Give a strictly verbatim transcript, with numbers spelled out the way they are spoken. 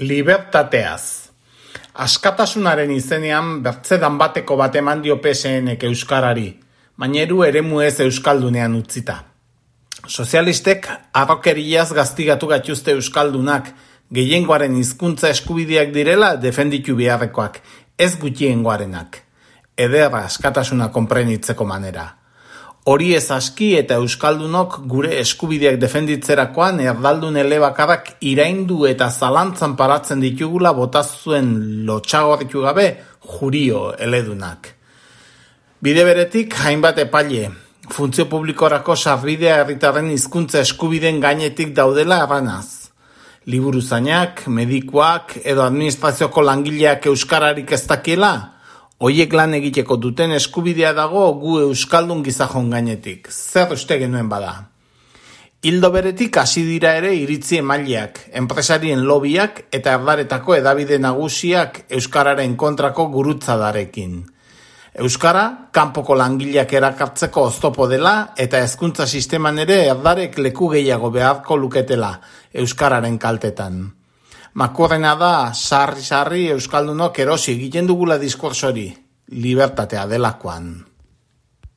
Libertateaz. Askatasunaren izenean bertzedan bateko bat eman dio P S N-ek euskarari, maineru eremu ez euskaldunean utzita. Sozialistek arrokeriaz gaztigatu gatuzte euskaldunak, gehiengoaren hizkuntza eskubideak direla defenditu beharrekoak, ez gutxiengoarenak. Ederra askatasuna konprenitzeko manera. Hori ez aski eta euskaldunok gure eskubideak defenditzerakoan erdaldun elebakarrak iraindu eta zalantzan paratzen ditugula botazuen lotxagorritu gabe jurio eledunak. Bide beretik hainbat epaile, funtzio publikorako sarbidea herritarren hizkuntza eskubideen gainetik daudela erranaz. Liburuzainak, medikuak edo administrazioko langileak euskararik ez dakiela, hoiek lan egiteko duten eskubidea dago gu euskaldun gizajon gainetik, zer uste genuen bada. Hildo beretik hasi dira ere iritzi emaileak, enpresarien lobiak eta erdaretako edabide nagusiak euskararen kontrako gurutzadarekin. Euskara, kanpoko langileak erakartzeko oztopo dela eta hezkuntza sisteman ere erdarek leku gehiago beharko luketela euskararen kaltetan. Makurrena da, sarri-sarri euskaldunok erosi egiten dugula diskursori, libertatea delakoan.